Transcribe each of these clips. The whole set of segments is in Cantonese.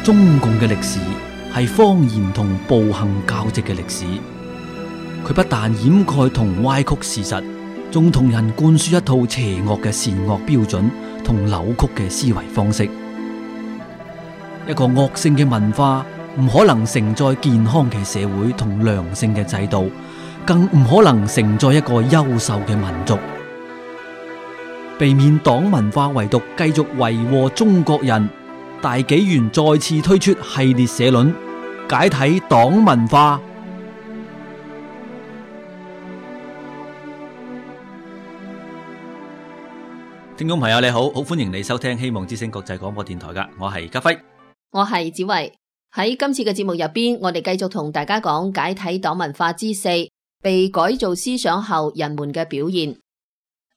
中共嘅歷史係謊言同暴行交織嘅歷史，佢不但掩蓋同歪曲事實，仲同人灌輸一套邪惡嘅善惡標準同扭曲嘅思維方式。一個惡性嘅文化唔可能承載健康嘅社會同良性嘅制度，更唔可能承載一個優秀嘅民族。避免黨文化遺毒繼續為禍中國人，大紀元再次推出系列社論，解體黨文化。聽眾朋友你好，好歡迎你收聽希望之聲國際廣播電台噶，我係家輝，我係子維。喺今次嘅節目入邊，我哋繼續同大家講解體黨文化之四，被改造思想後人們嘅表現。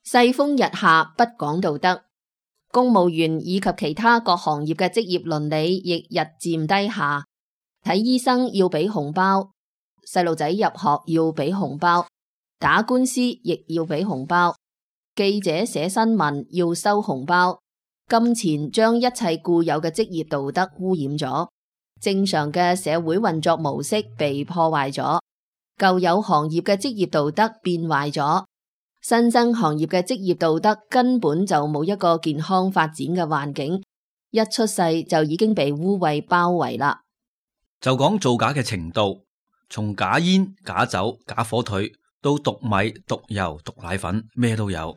世風日下，不講道德，公務員以及其他各行業嘅職業倫理亦日漸低下。睇醫生要俾紅包，細路仔入學要俾紅包，打官司亦要俾紅包，記者寫新聞要收紅包。金錢將一切固有嘅職業道德污染咗，正常嘅社會運作模式被破壞咗，舊有行業嘅職業道德變壞咗。新生行業嘅職業道德根本就冇一個健康發展嘅環境，一出世就已經被污穢包圍啦。就講造假嘅程度，從假煙、假酒、假火腿到毒米、毒油、毒奶粉，咩都有。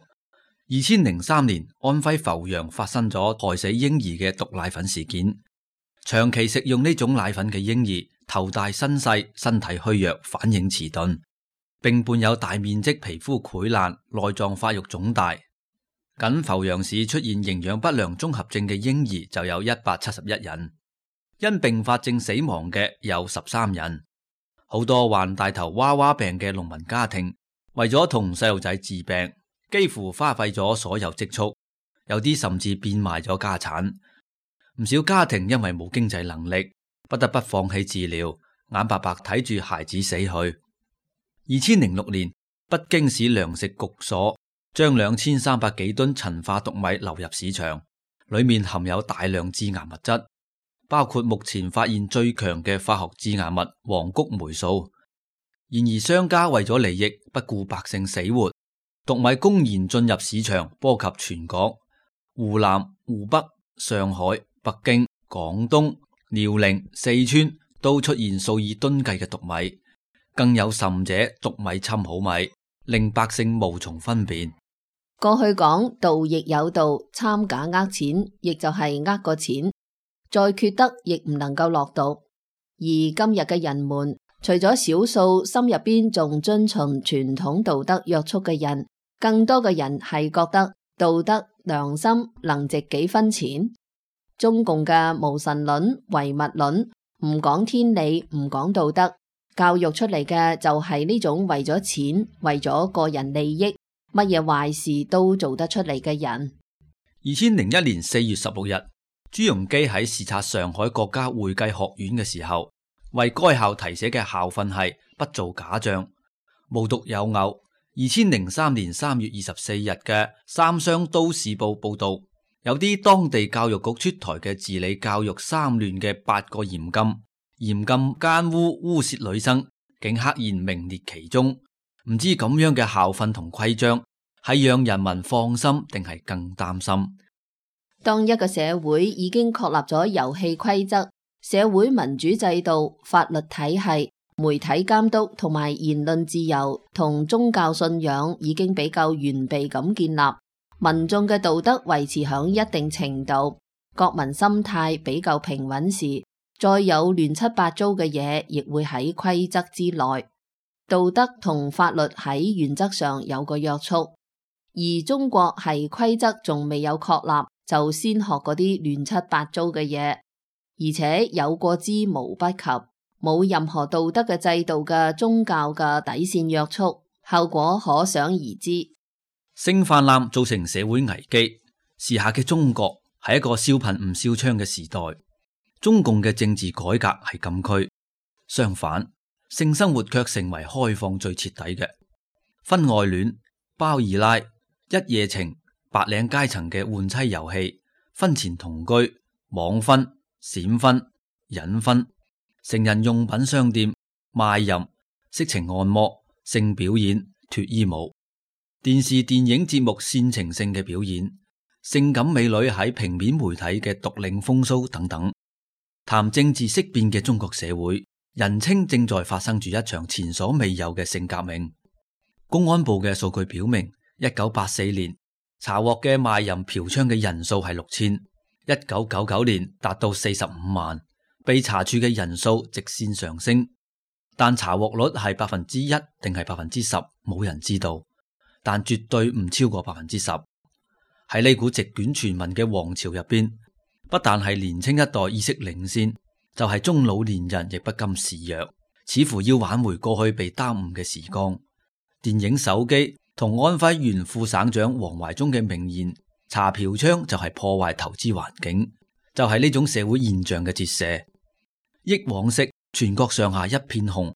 2003年，安徽阜陽發生咗害死嬰兒嘅毒奶粉事件。長期食用呢種奶粉嘅嬰兒，頭大身細，身體虛弱，反應遲鈍，並伴有大面積皮膚潰爛、內臟發育腫大。僅阜陽市出現營養不良綜合症嘅嬰兒就有171人，因併發症死亡嘅有13人。好多患大頭娃娃病嘅農民家庭，為咗同細路仔治病，幾乎花費咗所有積蓄，有啲甚至變賣咗家產。唔少家庭因為冇經濟能力，不得不放棄治療，眼白白睇住孩子死去。2006年，北京市糧食局所將2300幾噸陳化毒米流入市場，裏面含有大量致癌物質，包括目前發現最強嘅化學致癌物黃谷霉素。然而商家為咗利益，不顧百姓死活，毒米公然進入市場，波及全國。湖南、湖北、上海、北京、廣東、遼寧、四川都出現數以噸計嘅毒米。更有甚者，毒米侵好米，令百姓無從分辨。過去講道亦有道，摻假呃錢，亦就係呃個錢，再缺德亦唔能夠落毒。而今日嘅人們，除咗少數心入邊仲遵循傳統道德約束嘅人，更多嘅人係覺得道德良心能值幾分錢。中共嘅無神論、唯物論，唔講天理，唔講道德，教育出嚟嘅就係呢種為咗錢、為咗個人利益，乜嘢壞事都做得出嚟嘅人。2001年4月16日，朱鎔基喺視察上海國家會計學院嘅時候，為該校題寫嘅校訓係不做假賬，無獨有偶。2003年3月24日嘅三湘都市報報道，有啲當地教育局出台嘅治理教育3亂嘅8個嚴禁奸污污褻女生，竟刻然名列其中。唔知咁樣嘅校訓同規章係讓人民放心定係更擔心？當一個社會已經確立咗遊戲規則、社會民主制度、法律體系、媒體監督同埋言論自由同宗教信仰已經比較完備咁建立，民眾嘅道德維持響一定程度，國民心態比較平穩時，再有亂七八糟嘅嘢，亦會喺規則之內。道德同法律喺原則上有個約束，而中國係規則仲未有確立，就先學嗰啲亂七八糟嘅嘢，而且有過之無不及，冇任何道德嘅制度嘅宗教嘅底線約束，後果可想而知。性泛濫造成社會危機，時下嘅中國係一個少貧唔少娼嘅時代。中共嘅政治改革係禁區，相反，性生活卻成為開放最徹底嘅。婚外戀、包二奶、一夜情、白領階層嘅換妻遊戲、婚前同居、網婚、閃婚、隱婚、成人用品商店、賣淫、色情按摩、性表演、脫衣舞、電視電影節目煽情性嘅表演、性感美女喺平面媒體嘅獨領風騷等等。談政治色變嘅中國社會，人稱正在發生住一場前所未有嘅性革命。公安部嘅數據表明，1984年查獲嘅賣淫嫖娼嘅人數係6000，1999年達到45萬，被查處嘅人數直線上升，但查獲率係1%定係10%，冇人知道，但絕對唔超過10%。喺呢股席捲全民嘅王朝入邊，不但係年輕一代意識領先，就係中老年人亦不甘示弱，似乎要挽回過去被耽誤嘅時光。電影《手機》同安徽原副省長王懷中嘅名言，查嫖娼就係破壞投資環境，就係呢種社會現象嘅折射。憶往昔，全國上下一片紅；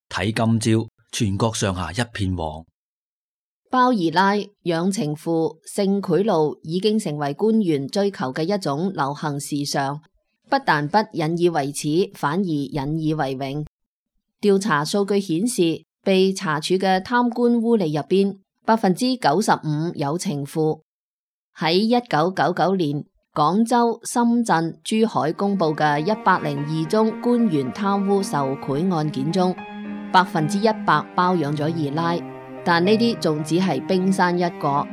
睇今朝，全國上下一片黃。包二奶、養情婦、性賄賂已經成為官員追求嘅一種流行時尚，不但不引以為恥，反而引以為榮。調查數據顯示，被查處嘅貪官污吏入邊，95%有情婦。喺1999年，廣州、深圳、珠海公布嘅102宗官員貪污受賄案件中，100%包養咗二奶。但呢啲仲只係冰山一角。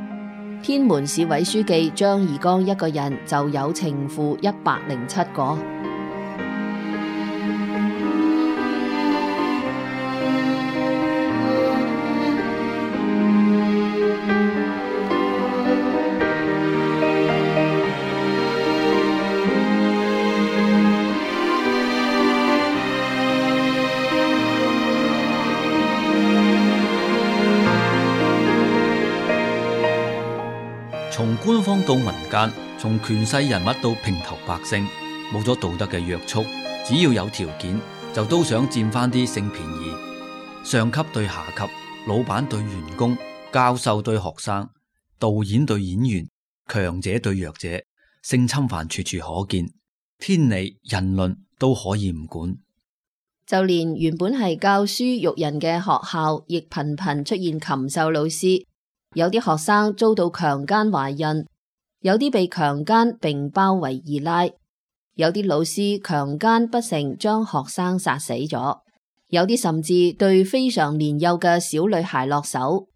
天門市委書記張二剛一個人就有情婦107個。從官方到民間，從權勢人物到平頭百姓，冇咗道德嘅約束，只要有條件就都想佔翻啲性便宜。上級對下級，老闆對員工，教授對學生，導演對演員，強者對弱者，性侵犯處處可見，天理人倫都可以唔管。就連原本係教書育人嘅學校，亦頻頻出現禽獸老師。有啲學生遭到強姦懷孕，有啲被強姦並包圍二奶，有啲老師強姦不成將學生殺死咗，有啲甚至對非常年幼嘅小女孩落手。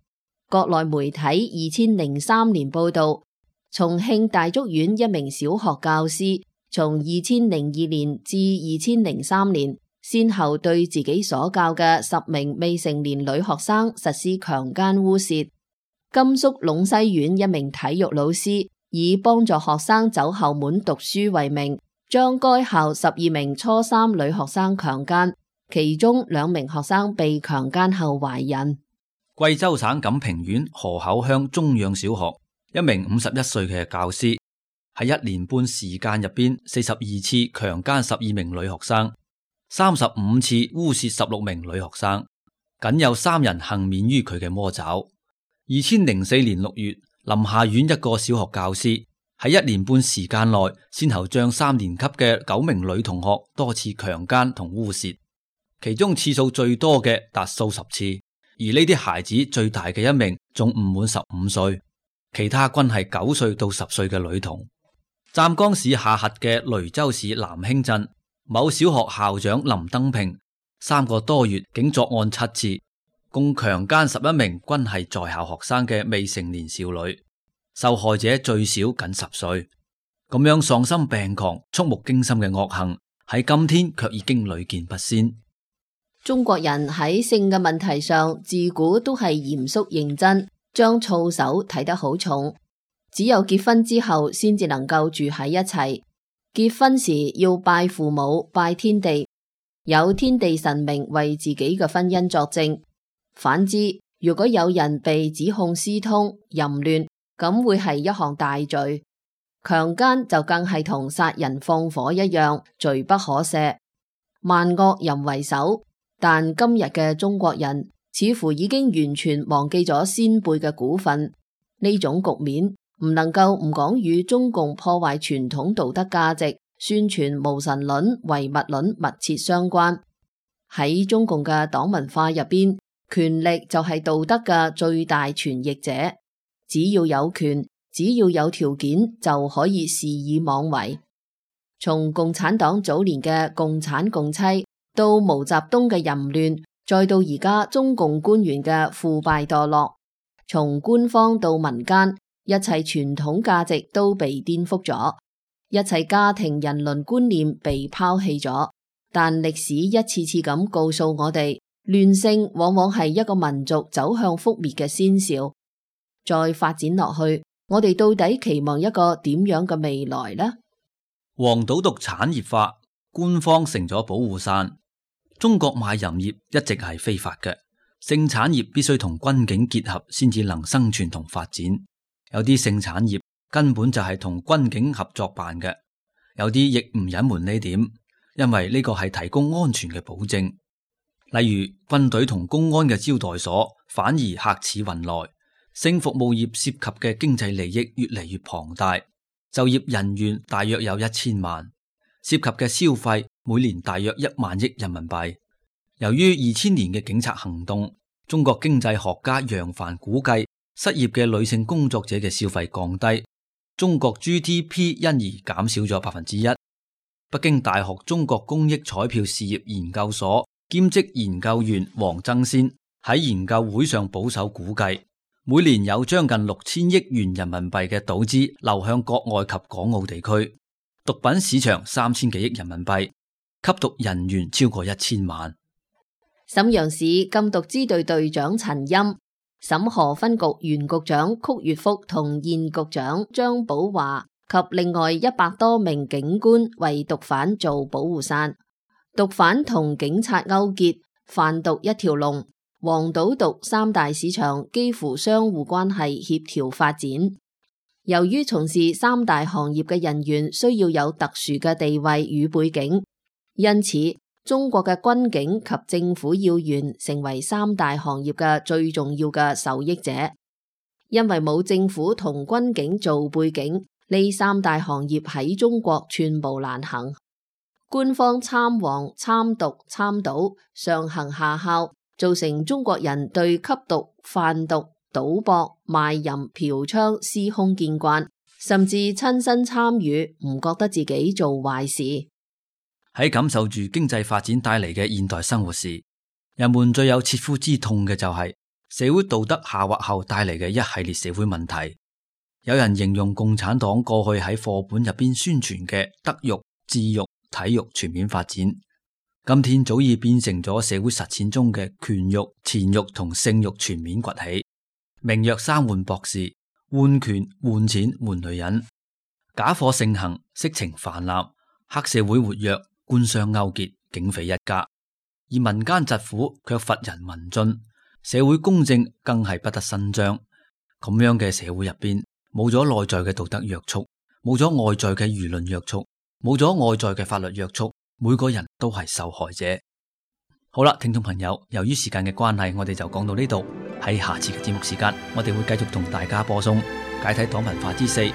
國內媒體2003年報道，重慶大竹縣一名小學教師從2002年至2003年，先後對自己所教嘅10名未成年女學生實施強姦污褻。甘肅隴西縣一名體育老師以幫助學生走後門讀書為名，將該校12名初三女學生強姦，其中2名學生被強姦後懷孕。貴州省錦屏縣河口鄉中央小學一名51歲嘅教師喺1年半時間入邊42次強姦12名女學生，35次污褻16名女學生，僅有3人幸免於佢嘅魔爪。2004年6月，臨夏縣一個小學教師喺1年半時間內，先後將3年級嘅9名女同學多次強姦同污褻，其中次數最多嘅達數十次，而呢啲孩子最大嘅一名仲唔滿15歲，其他均係9歲到10歲嘅女童。湛江市下轄嘅雷州市南興鎮某小學校長林登平3個多月竟作案7次，共強姦11名均係在校學生嘅未成年少女，受害者最少僅10歲。咁樣喪心病狂、觸目驚心嘅惡行，喺今天卻已經屢見不鮮。中國人喺性嘅問題上，自古都係嚴肅認真，將操守睇得好重。只有結婚之後，先至能夠住喺一齊。結婚時要拜父母、拜天地，有天地神明為自己嘅婚姻作證。反之，如果有人被指控私通、淫亂，咁會係一項大罪。強姦就更係同殺人放火一樣，罪不可赦。萬惡淫為首，但今日嘅中國人似乎已經完全忘記咗先輩嘅古訓。呢種局面唔能夠唔講與中共破壞傳統道德價值、宣傳無神論、唯物論密切相關。喺中共嘅黨文化入邊，權力就係道德嘅最大傳譯者，只要有權，只要有條件，就可以肆意妄為。從共產黨早年嘅共產共妻，到毛澤東嘅淫亂，再到而家中共官員嘅腐敗墮落，從官方到民間，一切傳統價值都被顛覆咗，一切家庭人倫觀念被拋棄咗。但歷史一次次咁告訴我哋，亂性往往係一個民族走向覆滅嘅先兆。再發展落去，我哋到底期望一個點樣嘅未來呢？黃賭毒產業化，官方成咗保護傘。中國賣淫業一直係非法嘅，性產業必須同軍警結合先至能生存同發展。有啲性產業根本就係同軍警合作辦嘅，有啲亦唔隱瞞呢點，因為呢個係提供安全嘅保證。例如軍隊同公安嘅招待所反而客似雲來，性服務業涉及嘅經濟利益越嚟越龐大。就業人員大約有1000萬，涉及嘅消費每年大約1萬億人民幣。由於2000年嘅警察行動，中國經濟學家楊帆估計失業嘅女性工作者嘅消費降低，中國 GDP 因而減少咗1%。北京大學中國公益彩票事業研究所兼職研究員王爭先喺研究會上保守估計，每年有將近6000億元人民幣嘅賭資流向國外及港澳地區，毒品市場3000幾億人民幣，吸毒人員超過1000萬。瀋陽市禁毒支隊隊長陳欽、瀋河分局原局長曲月福同現局長張寶華及另外100多名警官為毒販做保護傘，毒販同警察勾結，販毒一條龍。黃賭毒3大市場幾乎相互關係協調發展。由於從事3大行業嘅人員需要有特殊嘅地位與背景，因此中國嘅軍警及政府要員成為3大行業嘅最重要嘅受益者。因為冇政府同軍警做背景，呢3大行業喺中國寸步難行。官方參黃、參毒、參賭，上行下效，造成中國人對吸毒、販毒、賭博、賣淫、嫖娼司空見慣，甚至親身參與，唔覺得自己做壞事。喺感受住經濟發展帶嚟嘅現代生活時，人們最有切膚之痛嘅就係社會道德下滑後帶嚟嘅一系列社會問題。有人形容共產黨過去喺課本入邊宣傳嘅德育、智育、體育全面發展，今天早已變成咗社會實踐中嘅權欲、錢欲同性欲全面崛起。名曰3換博士，換權、換錢、換女人，假貨盛行，色情泛濫，黑社會活躍，官商勾結，警匪一家。而民間疾苦卻乏人民進，社會公正更係不得伸張。咁樣嘅社會入邊，冇咗內在嘅道德約束，冇咗外在嘅輿論約束，冇咗外在嘅法律約束，每個人都係受害者。好啦，聽眾朋友，由於時間嘅關係，我哋就講到呢度。喺下次嘅節目時間，我哋會繼續同大家播送解體黨文化之4，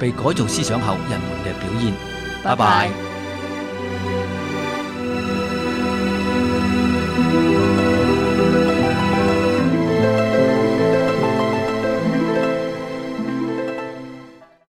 被改造思想後人們嘅表現。拜拜。